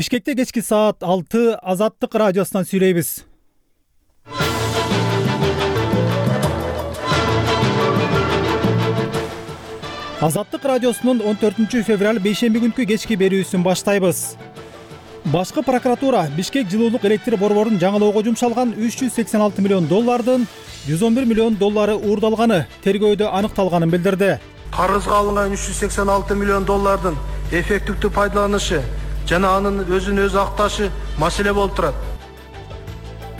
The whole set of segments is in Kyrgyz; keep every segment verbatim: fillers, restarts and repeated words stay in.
Бишкекте кечки саат алты Азаттык радиосунан сүйлөйбүз. Азаттык радиосунун он төртүнчү февраль бейшемби күнкү кечки берүүсүн баштайбыз. Башкы прокуратура Бишкек жылуулук электр борборун жаңылоого жумшалган үч жүз сексен алты миллион доллардын жүз он бир миллион доллары уурдалганы тергөөдө аныкталганын билдирди. Карызга алынган үч жүз сексен алты миллион доллардын эффективдүү пайдаланышы жана анын өзүн өзү акташы маселе болуп турат.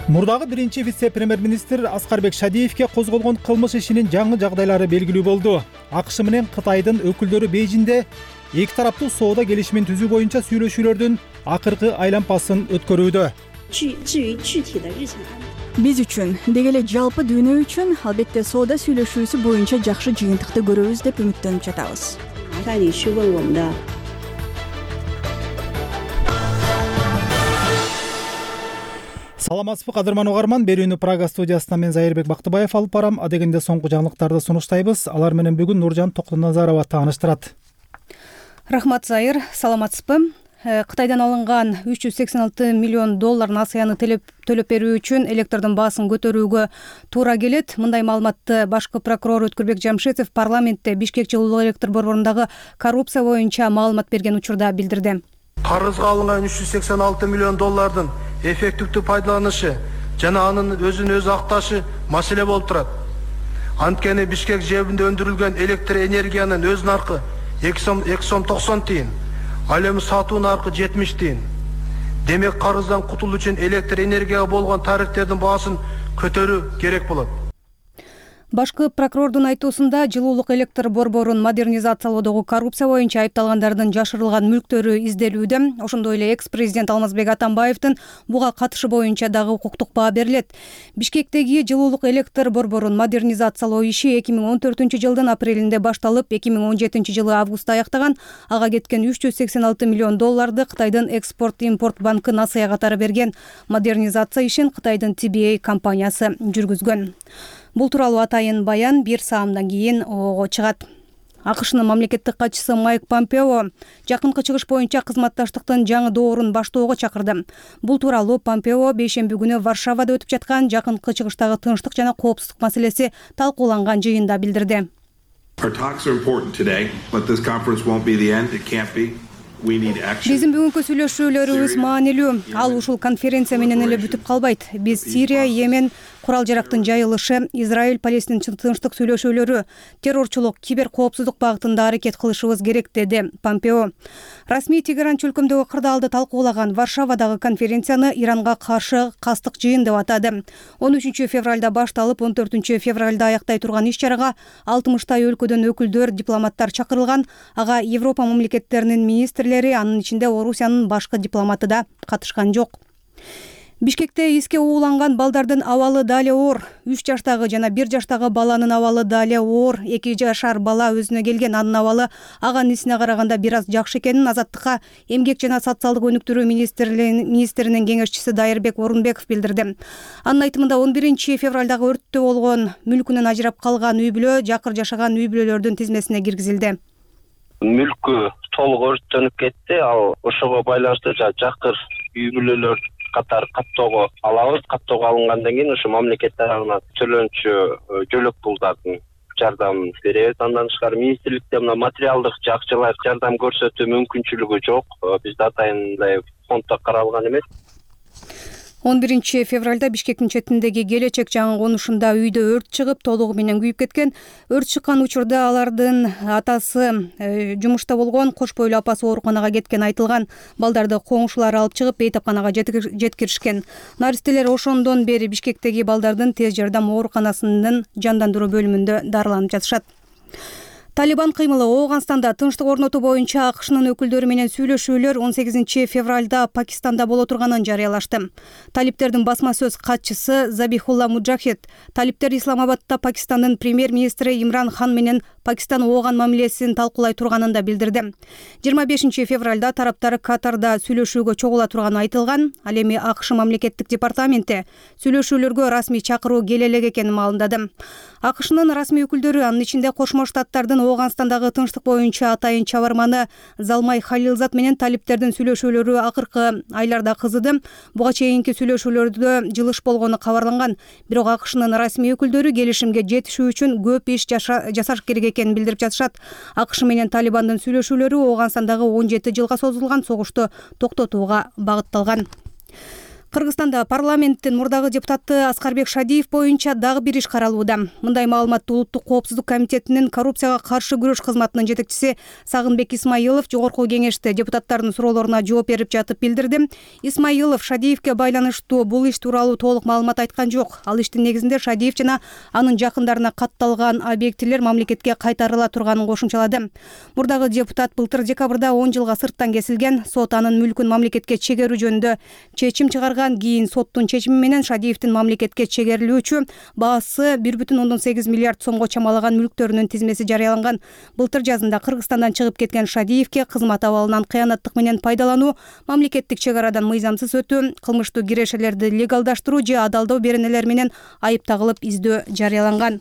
Мурдагы биринчи вице-премьер-министр Аскарбек Шадиевке козголгон кылмыш ишинин жаңы жагдайлары белгилүү болду. АКШ менен Кытайдын өкүлдөрү Бейжиңде эки тараптуу соода келишимин түзүү боюнча сүйлөшүүлөрдүн акыркы айлампасын өткөрүүдө. Биз үчүн, деги эле жалпы дүйнө үчүн албетте соода сүйлөшүүсү боюнча жакшы жыйынтыкты көрөбүз деп үмүттөнүп жатабыз. Саламатсызбы кадырман угарман, берүүнү Прага студиясынан мен Зайырбек Бактыбаев алып барам. Адегенде соңку жаңылыктарды сунуштайбыз. Алар менен бүгүн Нуржан Токтоназарова тааныштырат. Рахмат Зайыр, саламатсызбы? Кытайдан алынган үч жүз сексен алты миллион доллар насыяны төлөп берүү үчүн электрдин баасын көтөрүүгө туура келет. Мындай маалыматты башкы прокурор Өткүрбек Жамшитов парламентте Бишкек жылуулук электр борборундагы коррупция боюнча маалымат берген учурда билдирди. Карызга алынган үч жүз сексен алты миллион доллардын эффективдүү пайдаланышы жана анын өзүн өзү акташы маселе болуп турат. Анткени Бишкек жэбинде өндүрүлгөн электр энергиянын өз наркы эки сом токсон тиын, ал эми сатуу наркы жетимиш тиын. Демек карыздан кутулуу үчүн электр энергияга болгон тарифтердин баасын көтөрүү керек болот. Башкы прокурордун айтуусунда жылуулук электр борборун модернизациялоодогу коррупция боюнча айыпталгандардын жашырылган мүлктөрү изделүүдө. Ошондой эле экс-президент Алмазбек Атамбаевдин буга катышы боюнча дагы укуктук баа берилет. Бишкектеги жылуулук электр борборун модернизациялоо иши эки миң он төртүнчү жылдын апрелинде башталып, эки миң он жетинчи жылы августта аяктаган. Ага кеткен үч жүз сексен алты миллион долларды Кытайдын экспорт-импорт банкы насыя катары берген. Модернизация ишин Кытайдын Ти Би Эй компаниясы жүргүзгөн. Бул тууралуу атайын баян бир саамдан кийин ого чыгат. АКШнын мамлекеттик катчысы Майк Помпео жакынкы чыгыш боюнча кызматташтыктын жаңы доорун баштоого чакырды. Бул тууралуу Помпео бейшемби күнү Варшавада өтүп жаткан жакынкы чыгыштагы тынчтык жана коопсуздук маселеси талкууланган жыйында билдирди. Биздин бүгүнкү сүйлөшүүлөрүбүз маанилүү. Ал ушул конференция менен эле бүтүп калбайт. Биз Сирия, Йемен, курал жарактын жайылышы, Израиль, Палестин тынчтык сүйлөшүүлөрү, террорчулук, кибер коопсуздук багытында аракет кылышыбыз керек, деди Помпео. Расмий Тегеран чөлкөмдөгү кырдаалды талкуулаган Варшавадагы конференцияны Иранга каршы кастык жыйын деп атады. он үчүнчү февралда башталып, он төртүнчү февралда аяктай турган иш-чарага алтымыштай өлкөдөн өкүлдөр, дипломаттар чакырылган. Ага Европа мамлекеттеринин министрлери, анын ичинде Орусиянын башкы дипломаты да катышкан жок. Бишкекте эске ууланган балдардын абалы дале оор. үч жаштагы жана бир жаштагы баланын абалы дале оор. эки жашар бала өзүнө келген, анын абалы ага-инисине караганда бир аз жакшы экенин Азаттыкка эмгек жана социалдык өнүктүрүү министринин кеңешчиси Дайырбек Орунбеков билдирди. Анын айтымында он биринчи февралдагы өрттө болгон мүлкүнөн ажырап калган үй бүлө жакыр жашаган үй бүлөлөрдүн тизмесине киргизилди. Мүлкү толук өрттөнүп кетти. Ал ошого байланыштуу жакыр үй бүлөлөр катар каттоого алабыз. Каттоого алынгандан кийин ошо мамлекет тарабынан төлөнчү жөлөк пулдардын жардамын беребиз. Андан тышкары министрликте мына материалдык жакчылар жардам көрсөтүү мүмкүнчүлүгү жок. Бизде атайындай фонддо каралган эмес. он биринчи февралда Бишкектин четиндеги Келечек жаңы конушунда үйдө өрт чыгып, толугу менен күйүп кеткен. Өрт чыккан учурда алардын атасы э, жумушта болгон, кош бойлуу апасы ооруканага кеткен айтылган. Балдарды коңшулар алып чыгып, бейтапканага жеткиришкен. Наристелер ошондон бери Бишкектеги балдардын тез жардам ооруканасынын жандандыруу бөлүмүндө дарыланып жатышат. Талибан кыймылы Ооганстанда тынчтык орнотуу боюнча АКШнын өкүлдөрү менен сүйлөшүүлөр он сегизинчи февралда Пакистанда боло турганын жарыялашты. Талиптердин басма сөз катчысы Забихулла Муджахид талиптер Исламабадда Пакистандын премьер-министри Имран Хан менен Пакистан Ооган мамилесин талкуулай турганын да билдирди. жыйырма бешинчи февралда тараптар Катарда сүйлөшүүгө чогула турганы айтылган. Ал эми АКШ мамлекеттик департаменти сүйлөшүүлөргө расмий чакыруу келе элек экенин маалымдады. АКШнын расмий өкүлдөрү, анын ичинде Кошмо Штаттардын Ооганстандагы тынчтык боюнча атайын чабарманы Залмай Халилзат менен талиптердин сүйлөшүүлөрү акыркы айларда кызыды. Буга чейинки сүйлөшүүлөрдө жылыш болгону кабарланган. Бирок АКШнын расмий өкүлдөрү келишимге жетишүү үчүн көп иш жасаш керек экенин билдирип жатышат. АКШ менен Талибандын сүйлөшүүлөрү Ооганстандагы он жети жылга созулган согушту токтотууга багытталган. Кыргызстанда парламенттин мурдагы депутаты Аскарбек Шадиев боюнча дагы бир иш каралууда. Мындай маалыматты Улуттук коопсуздук комитетинин коррупцияга каршы күрөш кызматынын жетекчиси Сагынбек Исмаилов жогорку кеңеште депутаттардын суроолоруна жооп берип жатып билдирди. Исмаилов Шадиевке байланыштуу бул иш тууралуу толук маалымат айткан жок. Ал иштин негизинде Шадиев жана анын жакындарына катталган объектилер мамлекетке кайтарыла турганын кошумчалады. Мурдагы депутат былтыр декабрда он жылга сырттан кесилген. Сот анын мүлкүн мамлекетке чегерүү жөнүндө чечим чыгарган. Кийин соттун чечими менен Шадиевдин мамлекетке чегерилүүчү баасы бир бүтүн ондон сегиз миллиард сомго чамалаган мүлктөрүнүн тизмеси жарыяланган. Былтыр жазында Кыргызстандан чыгып кеткен Шадиевке кызмат абалынан кыянаттык менен пайдалануу, мамлекеттик чек арадан мыйзамсыз өтүү, кылмыштуу кирешелерди легалдаштыруу же адалдоо беренелер менен айып тагылып издөө жарыяланган.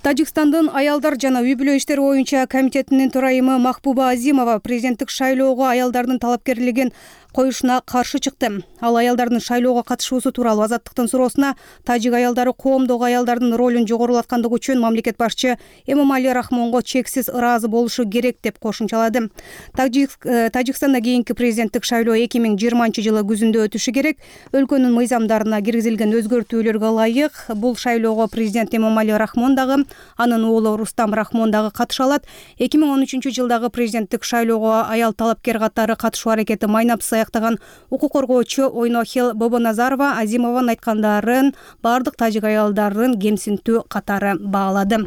Тажикстандын аялдар жана үй-бүлө иштери боюнча комитетинин төрайымы Махбуба Азимова президенттик шайлоого аялдардын талапкерлигин коюшуна каршы чыкты. Ал аялдардын шайлоого катышуусу тууралуу Азаттыктын суроосуна тажик аялдары коомдогу аялдардын ролун жогорулаткандыгы үчүн мамлекет башчы Эмомали Рахмонго чексиз ыраазы болушу керек деп кошумчалады. Тажикстанда кийинки президенттик шайлоо эки миң жыйырманчы жылы күзүндө өтүшү керек. Өлкөнүн мыйзамдарына киргизилген өзгөртүүлөргө ылайык бул шайлоого президент Эмомали Рахмон дагы, анын уулу Рустам Рахмон дагы катыша алат. эки миң он үчүнчү жылдагы президенттик шайлоого аял талапкер катары катышуу аракети майнапсыз аяктаган укук коргоочу Ойнохел Бобоназарова Азимованын айткандарын бардык тажик аялдарын кемсинтүү катары баалады.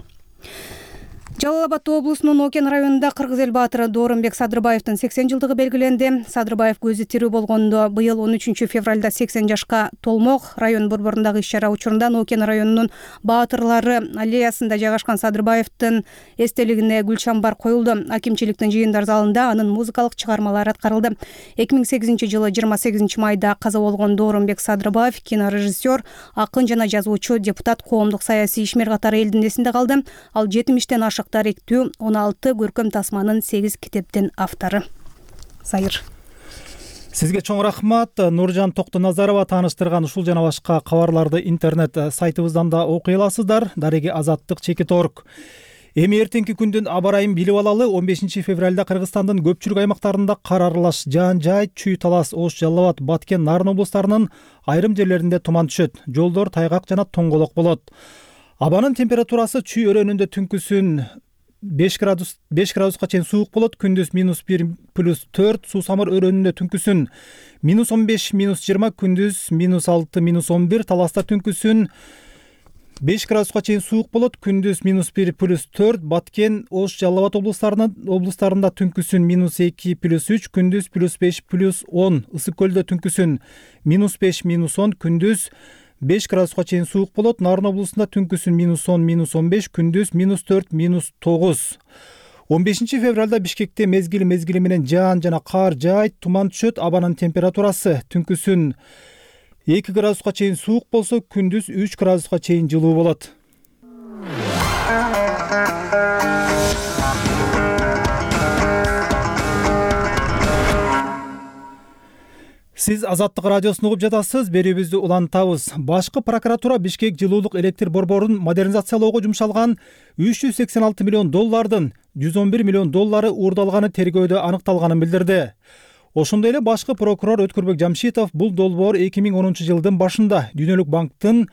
Жалал Абад облусунун Окен районунда кыргыз эл баатыры Доорунбек Садырбаевдин сексен жылдыгы белгиленди. Садырбаев көзү тирүү болгондо быйыл он үчүнчү февралда сексен жашка толмок. Район борборундагы иш-чара учурунда Окен районунун баатырлары аллеясында жайгашкан Садырбаевдин эстелигине гүл чамбар коюлду. Акимчиликтин жыйындар залында анын музыкалык чыгармалары аткарылды. эки миң сегизинчи жылы жыйырма сегизинчи майда каза болгон Доорунбек Садырбаев кинорежиссер, акын жана жазуучу, депутат, коомдук саясий ишмер катары элдин эсинде калды. Ал жетимиштен ашык тарихтүү он алты көркөм тасманын сегиз китептин автору. Сайыр. Сизге чоң рахмат. Нуржан Токтоназарова тааныштырган ушул жана башка кабарларды интернет сайтыбыздан да окуй аласыздар. Дареги Азаттык чекит орг. Эми эртеңки күндүн аба ырайын билип алалы. он бешинчи февралда Кыргызстандын көпчүлүк аймактарында кар аралаш жаан-жай, Чүй, Талас, Ош, Жалал Абад, Баткен, Нарын облустарынын айрым жерлеринде туман түшөт. Жолдор тайгак жана тоңголок болот. Абанын температурасы Чүй өрөөнүндө түнкүсүн беш градус беш градуска чейин суук болот. Күндүз минус бир плюс төрт, Суу Самыр өрөөнүндө түнкүсүн минус он беш минус жыйырма, күндүз минус алты минус он бир, Таласта түнкүсүн беш градуска чейин суук болот. Күндүз минус бир плюс төрт, Баткен, Ош, Жалал Абад облустарынын облустарында түнкүсүн минус эки плюс үч, күндүз плюс беш плюс он, Ысык көлдө түнкүсүн минус беш минус он, күндүз беш градуска чейин суук болот. Нарын облусунда түнкүсүн минус он минус он беш, күндүз минус төрт минус тогуз. он бешинчи февралда Бишкекте мезгил мезгили менен жаан жана кар жаайт, туман түшөт. Абанын температурасы түнкүсүн эки градуска чейин суук болсо, күндүз үч градуска чейин жылуу болот. Сиз Азаттык радиосун угуп жатасыз. Берүүбүздү улантабыз. Башкы прокуратура Бишкек жылуулук электр борборун модернизациялоого жумшалган үч жүз сексен алты миллион доллардын жүз он бир миллион доллары уурдалганы тергөөдө аныкталганын билдирди. Ошондой эле башкы прокурор Өткүрбек Жамшитов бул долбоор эки миң онунчу жылдын башында Дүйнөлүк банктын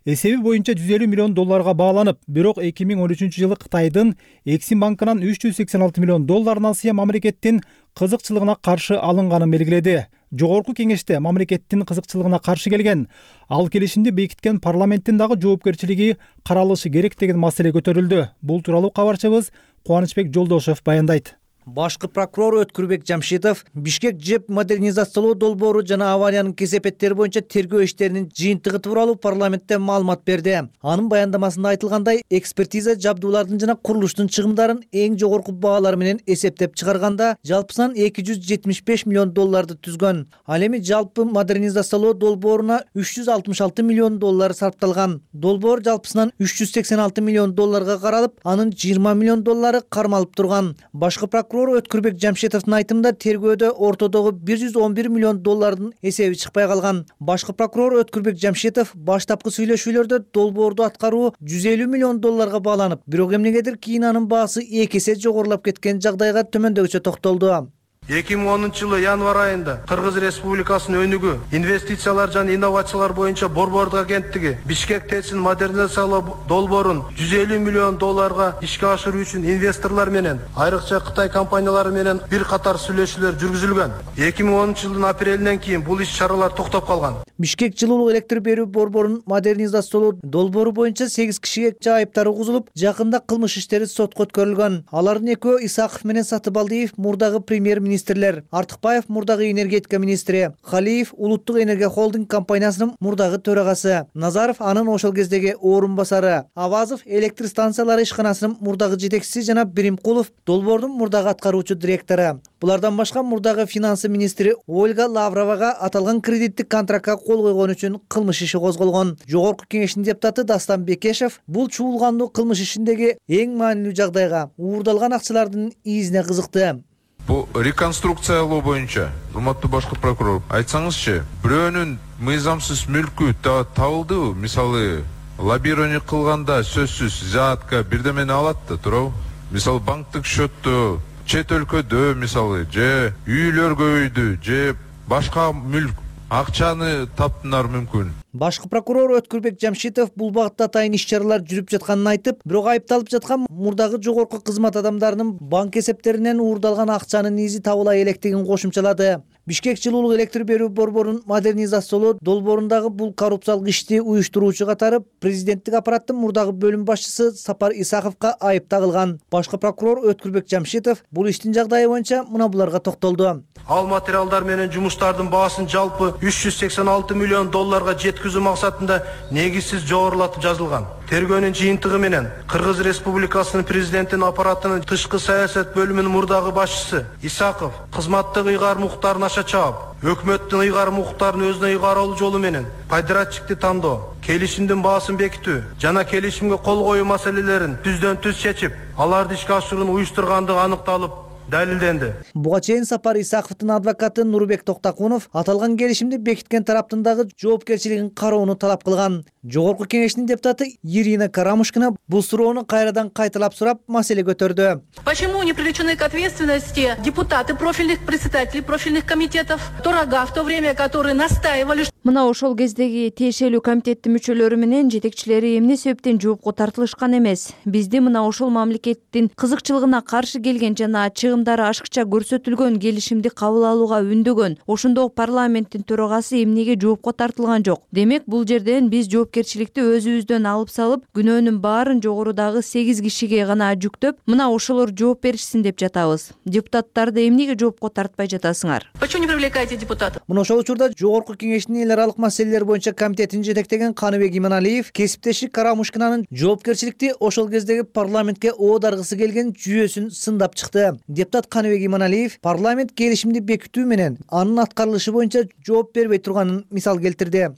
эсеби боюнча жүз элүү миллион долларга бааланып, бирок эки миң он үчүнчү жылы Кытайдын Эксим банкынан үч жүз сексен алты миллион долларынан сыя мамлекеттин кызыкчылыгына каршы алынганын белгиледи. Жогорку кеңеште мамлекеттин кызыкчылыгына каршы келген, ал келишимди бекиткен парламенттин дагы жоопкерчилиги каралышы керек деген маселе көтөрүлдү. Бул тууралуу кабарчыбыз Кубанычбек Жолдошев баяндайт. Башкы прокурор Өткүрбек Жамшитов Бишкек ЖЭБ модернизациялоо долбоору жана авариянын кесепеттери боюнча тергөө иштеринин жыйынтыгы тууралуу парламентте маалымат берди. Анын баяндамасында айтылгандай, экспертиза жабдуулардын жана курулуштун чыгымдарын эң жогорку баалар менен эсептеп чыгарганда жалпысынан эки жүз жетимиш беш миллион долларды түзгөн. Ал эми жалпы модернизациялоо долбооруна үч жүз алтымыш алты миллион доллар сарпталган. Долбоор жалпысынан үч жүз сексен алты миллион долларга каралып, анын жыйырма миллион доллары кармалып турган. Башкы прокурор Өткүрбек Жамшитовдун айтымында тергөөдө ортодогу бир жүз он бир миллион доллардын эсеби чыкпай калган. Башкы прокурор Өткүрбек Жамшитов баштапкы сүйлөшүүлөрдө долбоорду аткаруу жүз элүү миллион долларга бааланып, бирок эмнегедир кийин анын баасы эки эсе жогорулап кеткен жагдайга төмөндөгүчө токтолду. эки миң онунчу жылы январь айында Кыргыз Республикасынын өнүгүү, инвестициялар жана инновациялар боюнча Борбордук агенттиги Бишкек ТЭЦин модернизациялоо долбоорун жүз элүү миллион долларга ишке ашыруу үчүн инвесторлор менен, айрыкча Кытай компаниялары менен бир катар сүйлөшүүлөр жүргүзүлгөн. эки миң онунчу жылдын апрелинен кийин бул иш-чаралар токтоп калган. Бишкек жылуулук электр берүү борборунун модернизациялоо долбоору боюнча сегиз кишиге жайыптар угузулуп, жакында кылмыш иштери сотко өткөрүлгөн. Алардын экөө Исаков менен Сатыбалдиев мурдагы премьер-министрлер, Артыкбаев мурдагы энергетика министри, Халиев улуттук энергия холдинг компаниясынын мурдагы төрагасы, Назаров анын ошол кездеги орун басары, Авазов электр станциялары ишканасынын мурдагы жетекчиси жана Биримкулов долбоордун мурдагы аткаруучу директору. Булардан башка мурдагы финансы министри Ольга Лавровага аталган кредиттик контрактка кол койгон үчүн кылмыш иши козголгон. Жогорку кеңештин депутаты Дастан Бекешев бул чуулгандуу кылмыш ишиндеги эң маанилүү жагдайга, уурдалган акчалардын изине кызыкты. Бу реконструкциялоо боюнча, урматтуу башкы прокурор, айтсаңызчы, бирөөнүн мыйзамсыз мүлкү табылдыбы? Мисалы, лоббирование кылганда сөзсүз заатка бирдемени алат да, туурабы? Мисалы, банктык счетту чет өлкөдө, мисалы, же үйлөр көбөйдү, же башка мүлк, акчаны таптынар мүмкүн. Башкы прокурор Өткүрбек Жамшитов бул багытта атайын иш-чаралар жүрүп жатканын айтып, бирок айыпталып жаткан мурдагы жогорку кызмат адамдарынын банк эсептеринен уурдалган акчанын изи табыла электигин кошумчалады. Бишкек жылуулук электр берүү борборунун модернизациялоо долбоорундагы бул коррупциялык ишти уюштуруучу катары президенттик аппараттын мурдагы бөлүм башчысы Сапар Исаковго айып тагылган. Башкы прокурор Өткүрбек Жамшитов бул иштин жагдайы боюнча мына буларга токтолду. Ал материалдар менен жумуштардын баасын жалпы үч жүз сексен алты миллион долларга жеткизүү максатында негизсиз жогорулатып жазылган. Тергөөнүн жыйынтыгы менен Кыргыз Республикасынын президентинин аппаратынын тышкы саясат бөлүмүнүн мурдагы башчысы Исаков кызматтык ыйгар муктарын аша чаап, өкмөттүн ыйгар муктарын өзүнө ыйгаруу жолу менен пайдаратчикти тандоо, келишимдин баасын бекитүү жана келишимге кол коюу маселелерин түздөн түз чечип, аларды ишке ашырууну уюштургандыгы аныкталып, далилденди. Буга чейин Сапар Исаковдун адвокаты Нурбек Токтакунов аталган келишимди бекиткен тараптын дагы жоопкерчилигин кароону талап кылган. Жогорку кеңештин депутаты Ирина Карамушкина бул суроону кайрадан кайталап сурап, маселе көтөрдү. Почему не привлечены к ответственности депутаты профильных председателей профильных комитетов, Торага, в то время, которые настаивали? Мына ошол кездеги тиешелүү комитеттин мүчөлөрү менен жетекчилери эмне себептен жоопко тартылышкан эмес? Бизди мына ошол мамлекеттин кызыкчылыгына каршы келген жана чыгымдары ашыкча көрсөтүлгөн келишимди кабыл алууга үндөгөн ошондо парламенттин төрагасы эмнеге жоопко тартылган жок? Демек, бул жерден биз жоопкерчиликти өзүбүздөн алып салып, күнөөнүн баарын жогорудагы сегиз кишиге гана жүктөп, мына ошолор жооп беришсин деп жатабыз. Депутаттарды эмнеге жоопко тартпай жатасыңар? Почему не привлекаете депутатов? Мына ошол учурда жогорку кеңештин эл аралык маселелер боюнча комитетин жетектеген Каныбек Иманалиев кесиптеши Карамушкинанын жоопкерчиликти ошол кездеги парламентке оодаргысы келген жүйөсүн сындап чыкты. Депутат Каныбек Иманалиев парламент келишимди бекитүү менен анын аткарылышы боюнча жооп бербей турганын мисал келтирди.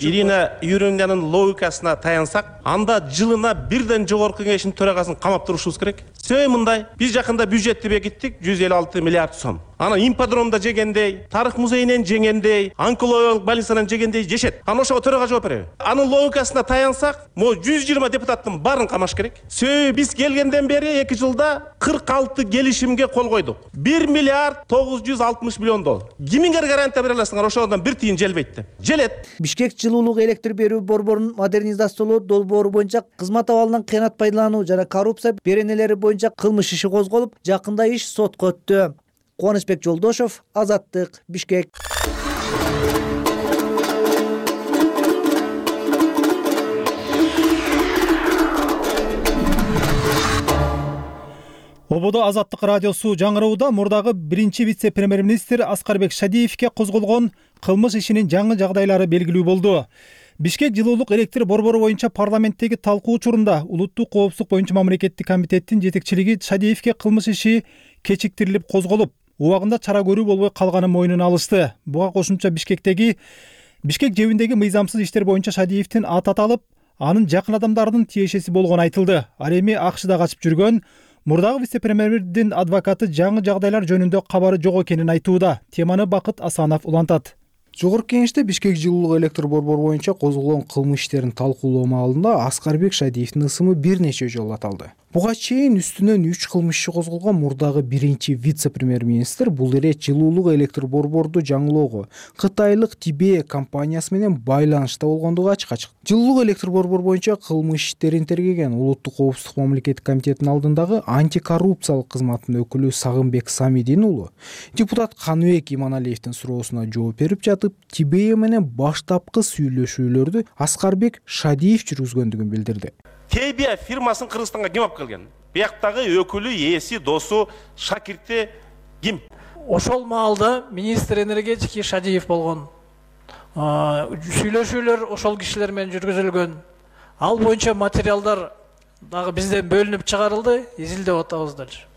Ирина Юрьевнанын логикасына таянсак, анда жылына бирден жогорку кеңештин төрагасын камап турушубуз керек. Себеби мындай, биз жакында бюджетти бекиттик жүз элүү алты миллиард сом. Ана имподромдо жегендей, тарых музейинен жегендей, онкологиялык больницадан жегендей жешет. Ана ошого төрага жооп береби? Анын логикасына таянсак, могу жүз жыйырма депутаттын баарын камаш керек. Себеби биз келгенден бери эки жылда кырк алты келишимге кол койдук. бир миллиард тогуз жүз алтымыш миллион доллар. Кимиңер гарантия бере аласыңар? Ошондон бир тиын желбейт деп. Желет. Бишкек жылуулук электр берүү борборунун модернизациялоо долбоору боюнча кызмат абалынан кыянат пайдалануу жана коррупция беренелери боюнча кылмыш иши козголуп, жакында иш сотко өттү. Кубанычбек Жолдошов, Азаттык, Бишкек. Ободо Азаттык радиосу жаңыроодо мурдагы биринчи вице-премьер-министр Аскарбек Шадиевке козголгон кылмыш ишинин жаңы жагдайлары белгилүү болду. Бишкек жылуулук электр борбору боюнча парламенттеги талкуу учурунда Улуттук коопсуздук боюнча мамлекеттик комитеттин жетекчилиги Шадиевке кылмыш иши кечиктирилип козголуп, убагында чара көрүү болбой калганын мойнуна алышты. Буга кошумча Бишкектеги Бишкек жебиндеги мыйзамсыз иштер боюнча Шадиевдин аты аталып, анын жакын адамдарынын тиешеси болгону айтылды. Ал эми АКШда качып жүргөн мурдагы вице-премьердин адвокаты жаңы жагдайлар жөнүндө кабары жок экенин айтууда. Теманы Бакыт Асанов улантат. Жогорку кеңеште Бишкек жылуулук электр борбору боюнча козголгон кылмыш иштерин талкуулоо маалында Аскарбек Шадиевдин ысымы бир нече жолу аталды. Буга чейин үстүнөн үч кылмыш иши козголгон мурдагы биринчи вице-премьер-министр бул ирет жылуулук электр борборду жаңылоого Кытайлык Тибе компаниясы менен байланышта болгондугу ачык-ачык. Жылуулук электр борбору боюнча кылмыш иштерин тергеген Улуттук коопсуздук мамлекеттик комитетинин алдындагы антикоррупциялык кызматтын өкүлү Сагынбек Самидин уулу депутат Каныбек Иманалиевдин суроосуна жооп берип жатып, Тибе менен баштапкы сүйлөшүүлөрдү Аскарбек Шадиев жүргүзгөндүгүн билдирди. Тибе фирмасын Кыргызстанга ким алып келген? Бияктагы өкүлү, ээси, досу, шакирти ким? Ошол маалда министр энергетики Шадиев болгон. Сүйлөшүүлөр ошол кишилер менен жүргүзүлгөн. Ал боюнча материалдар дагы бизден бөлүнүп чыгарылды, изилдеп атабыз дальше.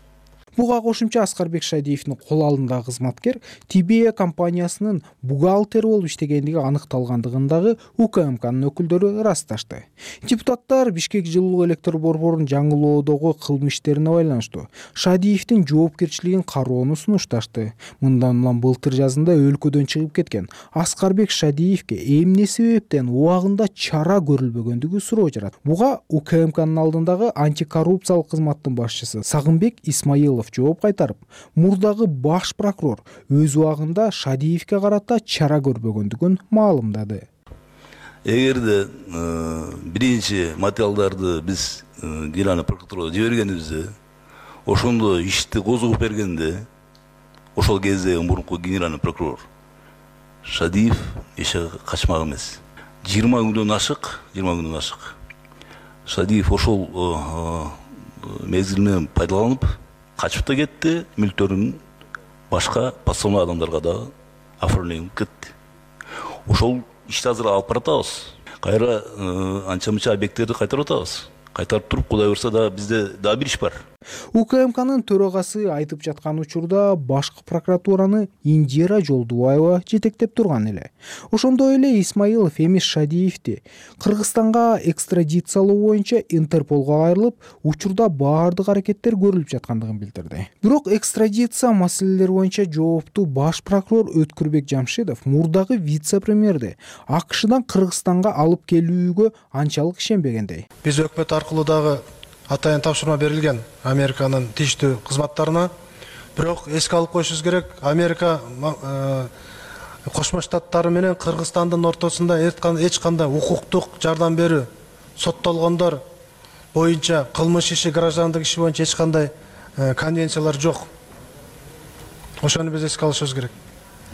Буга кошумча Аскарбек Шадиевдин кол алдындагы кызматкер Тибе компаниясынын бухгалтери болуп иштегендиги аныкталгандыгындагы УКМКнын өкүлдөрү ырасташты. Депутаттар Бишкек жылуулук электр борборунун жаңылоодогу кылмыш иштерине байланыштуу Шадиевдин жоопкерчилигин кароону сунушташты. Мындан улам былтыр жазында өлкөдөн чыгып кеткен Аскарбек Шадиевке эмне себептен убагында чара көрүлбөгөндүгү суроо жарат. Буга УКМКнын алдындагы антикоррупциялык кызматтын башчысы Сагынбек Исмаилов жооп кайтарып, мурдагы баш прокурор өз убагында Шадиевке карата чара көрбөгөндүгүн маалымдады. Эгерде биринчи материалдарды биз Генеральный прокуратурага жибергенибизде, ошондо ишти козгоп бергенде, ошол кезде мурунку генеральный прокурор Шадиев эче качмак эмес. жыйырма күндөн ашык, жыйырма күндөн ашык. Шадиев ошол мезгилинен пайдаланып качып да кетти, мүлктөрүн башка подставной адамдарга да оформленип кетти. Ошол ишти азыр алып баратабыз. Кайра анча-мынча объекттерди кайтарып атабыз. Кайтарып туруп, Кудай буйрса да бизде дагы бир иш бар. УКМКнын төрагасы айтып жаткан учурда башкы прокуратураны Индира Жолдубаева жетектеп турган эле. Ошондой эле Исмаилов эмес Шадиевди Кыргызстанга экстрадициялоо боюнча Интерполго кайрылып, учурда баардык аракеттер көрүлүп жаткандыгын билдирди. Бирок экстрадиция маселелери боюнча жоопту баш прокурор Өткүрбек Жамшидов мурдагы вице-премьерди АКШдан Кыргызстанга алып келүүгө анчалык ишенбегендей. Биз өкмөт аркылуу дагы атайын тапшырма берилген Американын тийиштүү кызматтарына. Бирок эске алып коюшубуз керек, Америка Кошмо Штаттары менен Кыргызстандын ортосунда эч кандай укуктук жардам берүү, соттолгондор боюнча кылмыш иши, граждандык иши боюнча эч кандай конвенциялар жок. Ошону биз эске алышыбыз керек.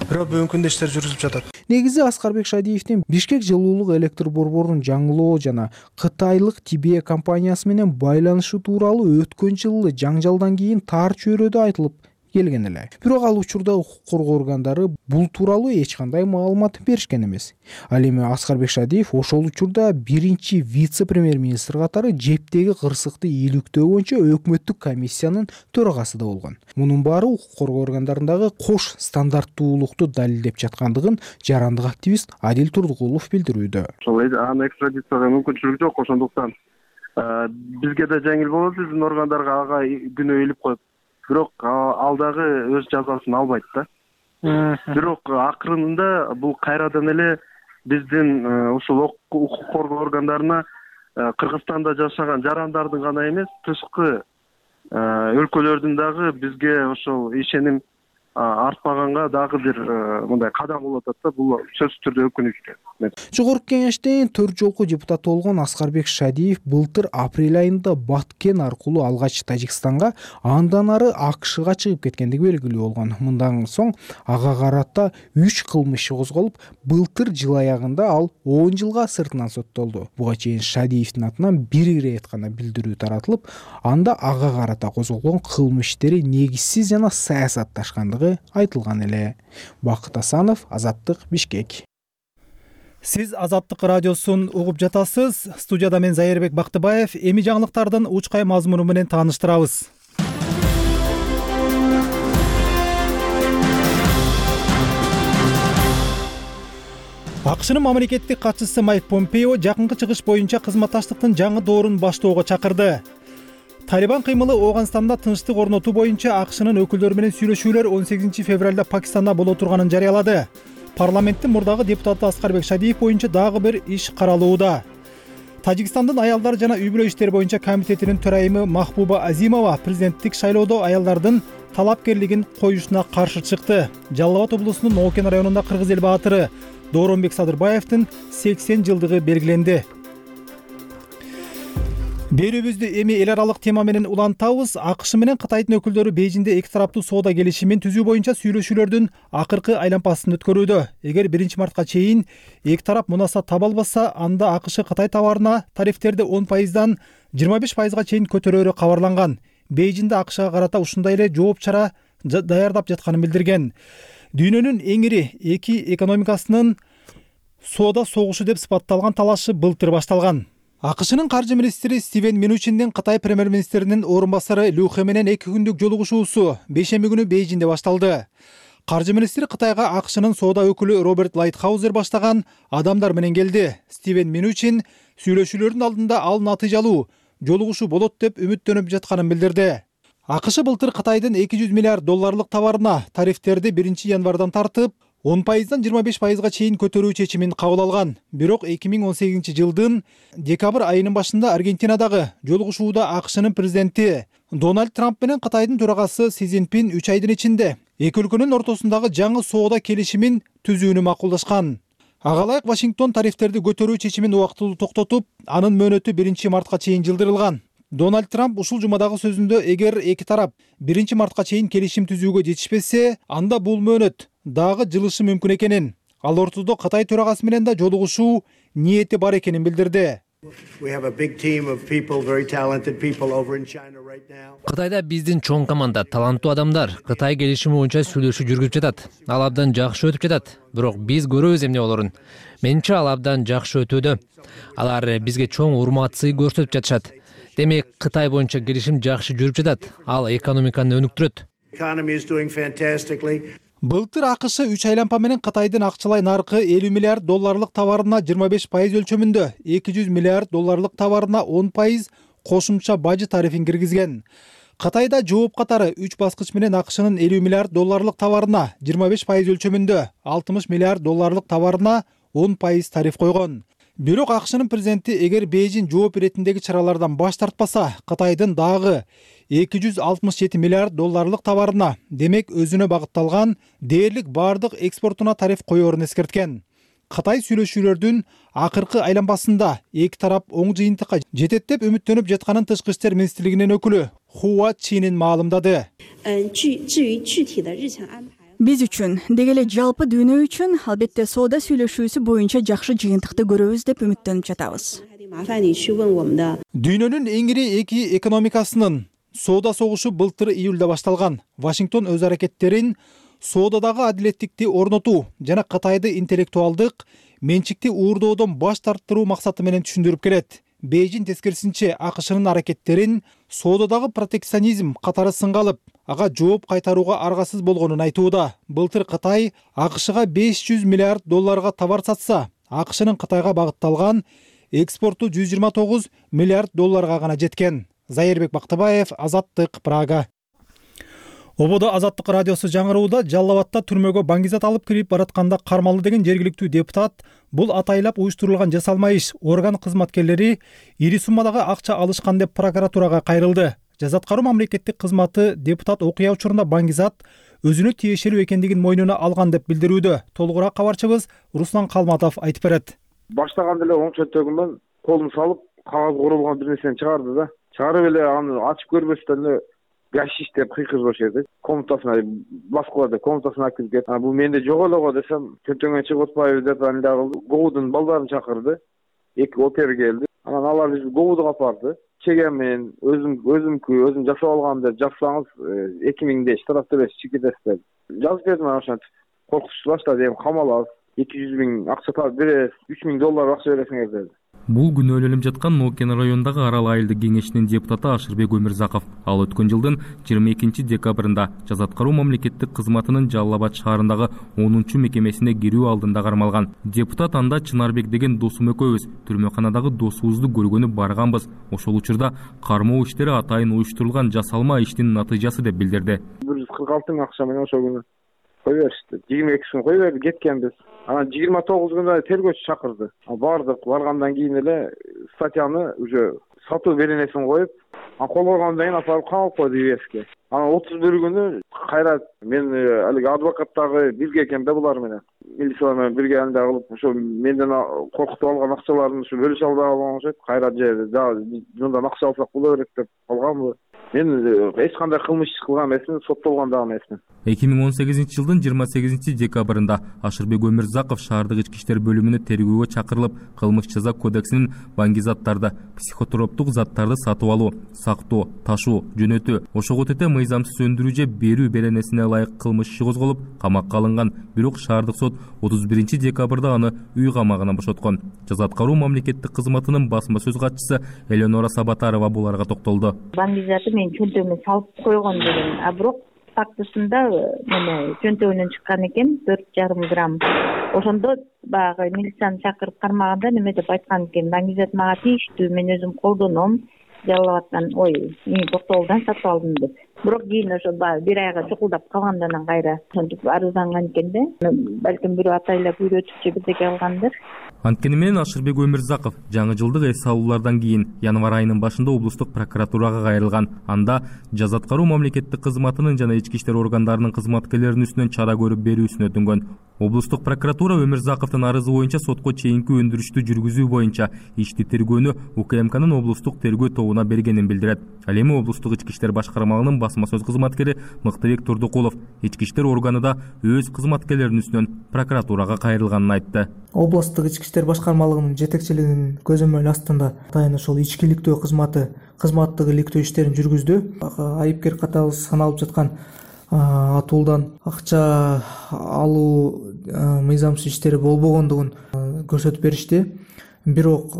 Бирок бүгүнкү күндө иштер жүрүзүп жатат. Негизи Аскарбек Шадиевдин Бишкек жылуулук электр борборун жаңылоо жана Кытайлык Тибе компаниясы менен байланышы тууралуу өткөн жылы жаңжалдан кийин тар чөйрөдө айтылып келген эле. Бирок ал учурда укук коргоо органдары бул тууралуу эч кандай маалымат беришкен эмес. Ал эми Аскарбек Шадиев ошол учурда биринчи вице-премьер-министр катары жептеги кырсыкты ийгиликтөө боюнча өкмөттүк комиссиянын төрагасы да болгон. Мунун баары укук коргоо органдарындагы кош стандарттуулукту далилдеп жаткандыгын жарандык активист Адил Турдукулов билдирүүдө. Ошол аны экстрадицияга мүмкүнчүлүгү жок, ошондуктан бизге да жеңил болот, биздин органдарга ага күнөө илип коюп. Бирок ал дагы өз жазасын албайт да. Бирок акырында бул кайрадан эле биздин ушул укук коргоо органдарына Кыргызстанда жашаган жарандардын гана эмес, тышкы өлкөлөрдүн дагы бизге ошол ишеним артпаганга дагы бир мындай кадам болуп атат да. Бул сөзсүз түрдө өкүнүчтүү. Жогорку Кеңештин төрт жолку депутаты болгон Аскарбек Шадиев былтыр апрель айында Баткен аркылуу алгач Тажикстанга, андан ары АКШга чыгып кеткендиги белгилүү болгон. Мындан соң ага карата үч кылмыш козголуп, былтыр жыл аягында ал он жылга сыртынан соттолду. Буга чейин Шадиевдин атынан бир ирет гана билдирүү таратылып, анда ага карата козголгон кылмыш иштери негизсиз жана саясатташкандыгы айтылган эле. Бакыт Асанов, Азаттык, Бишкек. Сиз Азаттык радиосун угуп жатасыз. Студияда мен Зайырбек Бактыбаев. Эми жаңылыктардын учкай мазмуну менен тааныштырабыз. АКШнын мамлекеттик катчысы Майк Помпео жакынкы чыгыш боюнча кызматташтыктын жаңы доорун баштоого чакырды. Талибан кыймылы Ооганстанда тынчтык орнотуу боюнча АКШнын өкүлдөрү менен сүйлөшүүлөр он сегизинчи февралда Пакистанда боло турганын жарыялады. Парламенттин мурдагы депутаты Аскарбек Шадиев боюнча дагы бир иш каралууда. Тажикстандын аялдар жана үй-бүлө иштери боюнча комитетинин төрайымы Махбуба Азимова президенттик шайлоодо аялдардын талапкерлигин коюшуна каршы чыкты. Жалал Абад облусунун Оокен районунда кыргыз эл баатыры Дооронбек Садырбаевдин сексен жылдыгы белгиленди. Берүүбүздү эми эл аралык тема менен улантабыз. АКШ менен Кытайдын өкүлдөрү Бейжиңде эки тараптуу соода келишимин түзүү боюнча сүйлөшүүлөрдүн акыркы айланпасын өткөрүүдө. Эгер биринчи мартка чейин эки тарап мунасат таба албаса, анда АКШ Кытай товарына тарифтерди он пайыздан жыйырма беш пайызга чейин көтөрөөрү кабарланган. Бейжиңде АКШга карата ушундай эле жооп чара даярдап жатканын билдирген. Дүйнөнүн эң ири эки экономикасынын соода согушу деп сыпатталган талашы былтыр башталган. АКШнын каржы министри Стивен Минучиндин Кытай премьер-министринин орун басары Лю Хэ менен эки күндүк жолугушуусу бейшемби күнү Бейжиңде башталды. Каржы министри Кытайга АКШнын соода өкүлү Роберт Лайтхаузер баштаган адамдар менен келди. Стивен Минучин сүйлөшүүлөрдүн алдында ал натыйжалуу жолугушуу болот деп үмүттөнүп жатканын билдирди. АКШ былтыр Кытайдын эки жүз миллиард долларлык товарына тарифтерди биринчи январдан тартып, он пайыздан жыйырма беш пайызга чейин көтөрүү чечимин кабыл алган. Бирок эки миң он сегизинчи жылдын декабрь айынын башында Аргентинадагы жолугушууда АКШнын президенти Дональд Трамп менен Кытайдын төрагасы Си Цзиньпин үч айдын ичинде эки өлкөнүн ортосундагы жаңы соода келишимин түзүүнү макулдашкан. Ага ылайык Вашингтон тарифтерди көтөрүү чечимин убактылуу токтотуп, анын мөөнөтү биринчи мартка чейин жылдырылган. Дональд Трамп ушул жумадагы сөзүндө эгер эки тарап биринчи мартка чейин келишим түзүүгө жетишпесе, анда бул мөөнөт дагы жылышы мүмкүн экенин, ал ортодо Кытай төрагасы менен да жолугушуу ниети бар экенин билдирди. Кытайда биздин чоң команда, таланттуу адамдар Кытай келишими боюнча сүйлөшүү жүргүзүп жатат. Ал абдан жакшы өтүп жатат. Бирок биз көрөбүз эмне болорун. Менимче ал абдан жакшы өтүүдө. Алар бизге чоң урмат сый көрсөтүп жатышат. Демек, Кытай боюнча келишим жакшы жүрүп жатат. Ал экономиканы өнүктүрөт. Былтыр АКШ үч айланпа менен Кытайдын акчалай наркы элүү миллиард долларлык товарына жыйырма беш пайыз өлчөмүндө, эки жүз миллиард долларлык товарына он пайыз кошумча бажы тарифин киргизген. Кытайда жооп катары үч баскыч менен АКШнын элүү миллиард долларлык товарына жыйырма беш пайыз өлчөмүндө, алтымыш миллиард долларлык товарына он пайыз тариф койгон. Бирок АКШнын президенти эгер Бейжиң жооп иретиндеги чаралардан баш тартпаса, Кытайдын дагы эки жүз алтымыш жети миллиард долларлык товарына, демек өзүнө багытталган дээрлик бардык экспортуна тариф коерун эскерткен. Кытай сүйлөшүүлөрдүн акыркы айланпасында эки тарап оң жыйынтыкка жетет деп үмүттөнүп жатканын Тышкы иштер министрлигинин өкүлү Хуа Чинин маалымдады. Биз үчүн, деги эле жалпы дүйнө үчүн албетте соода сүйлөшүүсү боюнча жакшы жыйынтыкты көрөбүз деп үмүттөнүп жатабыз. Дүйнөнүн эң ири эки экономикасынын соода согушу былтыр июлда башталган. Вашингтон өз аракеттерин соодадагы адилеттикти орнотуу жана Кытайды интеллектуалдык менчикти уурдоодон баш тарттыруу максаты менен түшүндүрүп келет. Бейжиң тескерисинче АКШнын аракеттерин соодадагы протекционизм катары сынга алып, ага жооп кайтарууга аргасыз болгонун айтууда. Былтыр Кытай АКШга беш жүз миллиард долларга товар сатса, АКШнын Кытайга багытталган экспорту жүз жыйырма тогуз миллиард долларга гана жеткен. Зайырбек Бактыбаев, Азаттык, Прага. Ободо Азаттык радиосу жаңырууда Жалал Абадта түрмөгө баңгизат алып кирип баратканда кармалды деген жергиликтүү депутат бул атайлап уюштурулган жасалма иш, орган кызматкерлери ири суммадагы акча алышкан деп прокуратурага кайрылды. Жаза аткаруу мамлекеттик кызматы депутат окуя учурунда баңгизат өзүнө тиешелүү экендигин мойнуна алган деп билдирүүдө. Толугураак кабарчыбыз Руслан Калматов айтып берет. Баштаганда эле оң чөнтөгүмөн колун салып кагаз курулган бир нерсени чыгарды да. Чыгарып эле аны ачып көрбөстөн эле гашиш деп кыйкырып жиберди. Комнатасына баскыла деп комнатасына алып келип, "А бул менде жок эле го" десем, "Чөнтөгүңө чыгып атпайбы" деп аны дагы ГОУдун балдарын чакырды. Эки опер келди. Анан алар бизди ГОУдуга апарды. Чегем мен өзүм өзүмкү өзүм жасап алгам деп жазсаңыз эки миңдей штраф төлөйсүз, чекитесиз деп. Жазып бердим анан ошентип. Коркутуп баштады, эми камаласыз, эки жүз миң акча таап бересиз, үч миң доллар акча бересиңер деди. Бул күнөөлөнүп жаткан Нокен районундагы Арал айылдык кеңешинин депутаты Ашырбек Өмүрзаков. Ал өткөн жылдын жыйырма экинчи декабрында жаза аткаруу мамлекеттик кызматынын Жалал Абад шаарындагы онунчу мекемесине кирүү алдында кармалган. Депутат анда Чынарбек деген досум экөөбүз түрмөканадагы досубузду көргөнү барганбыз. Ошол учурда кармоо иштери атайын уюштурулган жасалма иштин натыйжасы деп билдирди. бир жүз кырк алты миң акча менен ошол күнү кой беришти. жыйырма экисин кой берди, кеткенбиз. Анан жыйырма тогузунда тергөөчү чакырды. Бардык, баргандан кийин эле статьяны уже сатуу беренесин коюп, анан кол койгондон кийин апарып камап койду ю эске. Анан отуз бир күнү кайра мен алиги адвокаттагы бирге экен да булар менен. Милициялар менен бирге анда кылып, ошо менден коркутуп алган акчаларын ушу бөлүш албай калган окшойт. Кайра же мындан акча алсак боло берет деп калганбы. Мен эч кандай кылмыш иш кылган эмесмин, соттолгон да эмесмин. эки миң он сегизинчи жылдын жыйырма сегизинчи декабрында Ашырбек Өмүрзаков шаардык ички иштер бөлүмүнө тергөөгө чакырылып, кылмыш жаза кодексинин баңги заттарды, психотроптук заттарды сатып алуу, сактоо, ташуу, жөнөтүү, ошого тете мыйзамсыз өндүрүү же берүү беренесине ылайык кылмыш иши козголуп, камакка алынган. Бирок шаардык сот отуз биринчи декабрда аны үй камагынан бошоткон. Жаза аткаруу мамлекеттик кызматынын басма сөз катчысы Элеонора Сабатарова буларга токтолду. Баңги заты мен чөнтөгүмө салып койгон деген, а бирок фактысында мына чөнтөгүнөн чыккан экен төрт жарым грамм. Ошондо баягы милицияны чакырып кармаганда неме деп айткан экен, баңги зат мага тийиштүү, мен өзүм колдоном, Жалал Абадтан, ой, мен Токтогулдан сатып алдым деп. Бирок кийин ошо бир айга чукулдап калгандан кайра ошентип арызданган экен да. Балким бирөө атайлап үйрөтүп же бирдеке кылгандыр. Анткени менен Ашырбек Өмүрзаков жаңы жылдык эс алуулардан кийин январь айынын башында облустук прокуратурага кайрылган. Анда жаза аткаруу мамлекеттик кызматынын жана ички иштер органдарынын кызматкерлеринин үстүнөн чара көрүп берүүсүн өтүнгөн. Облустук прокуратура Өмүрзаковдун арызы боюнча сотко чейинки өндүрүштү жүргүзүү боюнча ишти тергөөнү УКМКнын облустук тергөө тобуна бергенин билдирет. Ал эми облустук ички иштер башкармалыгынын басма сөз кызматкери Мыктыбек Турдукулов ички иштер органында өз кызматкерлеринин үстүнөн прокуратурага кайрылганын айтты. Облустук ички иштер башкармалыгынын жетекчилигинин көзөмөл астында атайын ошол ичкиликтөө кызматы кызматтык иликтөө иштерин жүргүздү. Айыпкер катары саналып жаткан атуулдан акча алуу мыйзамсыз иштери болбогондугун көрсөтүп беришти. Бирок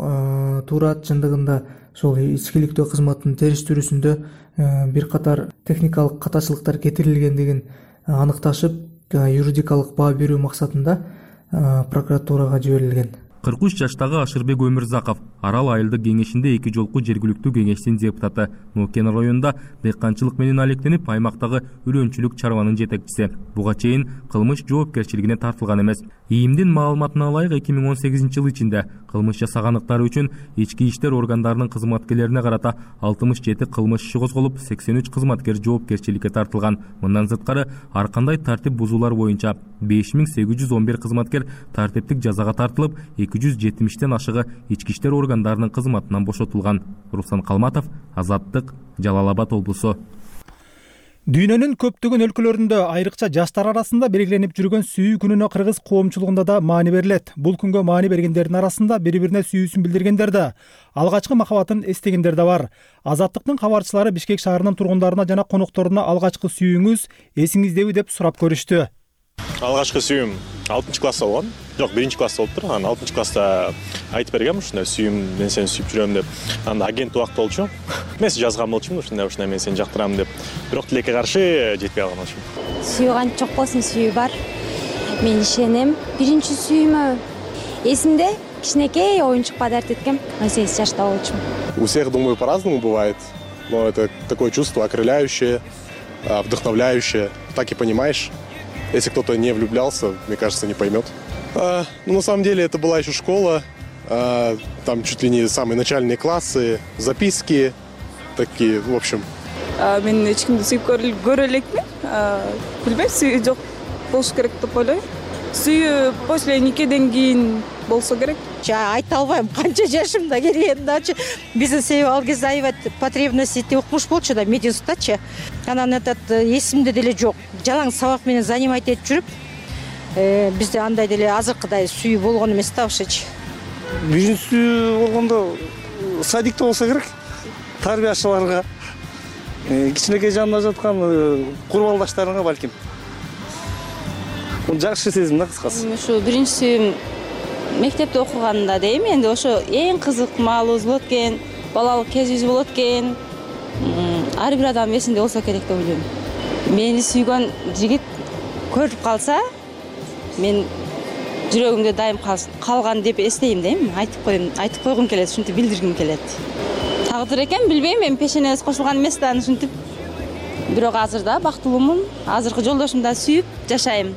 туура чындыгында ошол ичкиликтөө кызматынын териштирүүсүндө бир катар техникалык катачылыктар кетирилгендигин аныкташып, юридикалык баа берүү максатында прокуратурага жиберилген. кырк үч жаштагы Ашырбек Өмүрзаков Арал айылдык кеңешинде эки жолку жергиликтүү кеңештин депутаты. Нокен районунда дыйканчылык менен алектенип, аймактагы үрөнчүлүк чарбанын жетекчиси. Буга чейин кылмыш жоопкерчилигине тартылган эмес. ИИМдин маалыматына ылайык эки миң он сегизинчи жыл ичинде кылмыш жасаганлыктары үчүн ички иштер органдарынын кызматкерлерине карата алтымыш жети кылмыш иши козголуп, сексен үч кызматкер жоопкерчиликке тартылган. Мындан сырткары ар кандай тартип бузуулар боюнча беш миң сегиз жүз он бир кызматкер тартиптик жазага тартылып, эки жүз жетимиштен ашыгы ички иштер органдарынын кызматынан бошотулган. Руслан Калматов, Азаттык, Жалал Абад облусу. Дүйнөнүн көптөгөн өлкөлөрүндө айрыкча жаштар арасында белгиленип жүргөн сүйүү күнүнө кыргыз коомчулугунда да маани берилет. Бул күнгө маани бергендердин арасында бири-бирине сүйүүсүн билдиргендер да, алгачкы махабатын эстегендер да бар. Азаттыктын кабарчылары Бишкек шаарынын тургундарына жана конокторуна алгачкы сүйүүңүз эсиңиздеби деп сурап көрүштү. Алгачкы сүйүүм алтынчы класста болгон. Жок, биринчи класста болуптур. Анан алтынчы класста айтып бергем, ушундай сүйүүм, мен сени сүйүп жүрөм деп. Анда агент убакыт болчу. Мен жазган болчумун, ушундай ушундай мен сени жактырам деп. Бирок тилекке каршы жетпей калган болчумун. Сүйүү канча жок болсун, сүйүү бар. Мен ишенем. Биринчи сүйүүмө эсимде кичинекей оюнчук подарить эткем. он сегиз жашта болчумун. У всех, думаю, по-разному бывает. Но это такое чувство окрыляющее, вдохновляющее. Так и понимаешь. Если кто-то не влюблялся, мне кажется, не поймет. А, ну, на самом деле, это была еще школа, а, там чуть ли не самые начальные классы, записки такие, в общем. мен эч кимди сүйүп көрө элекмин. Билбейм, сүйүү жок болуш керек деп ойлойм. Сүйүү после никеден кийин болсо керек. Айта албайм, канча жашымда келген дачы. Биздин себеби ал кезде аябай потребностьти укмуш болчу да мединститутчы. Анан этот эсимде деле жок. Жалаң сабак менен занимать этип жүрүп, бизде андай деле азыркыдай сүйүү болгон эмес да ошочу. Биринчи болгондо садикте болсо керек. Тарбиячыларга, кичинекей жанында жаткан курбалдаштарыңа балким. Жакшы сезим да кыскасы. Ушу биринчи сүйүм мектепте окуганда дейм, энди ошо эң кызык маалыбыз болот экен, балалык кезибиз болот экен. Ар бир адам эсинде болсо керек деп ойлойм. Мени сүйгөн жигит көрүп калса, мен жүрөгүмдө дайым калган деп эстейм дейм. Айтып коем, айтып койгум келет, ушинтип билдиргим келет. Тагдыр экен, билбейм, мен пешенебиз кошулган эмес да ушинтип. Бирок азыр да бактылуумун. Азыркы жолдошумду да сүйүп жашайм.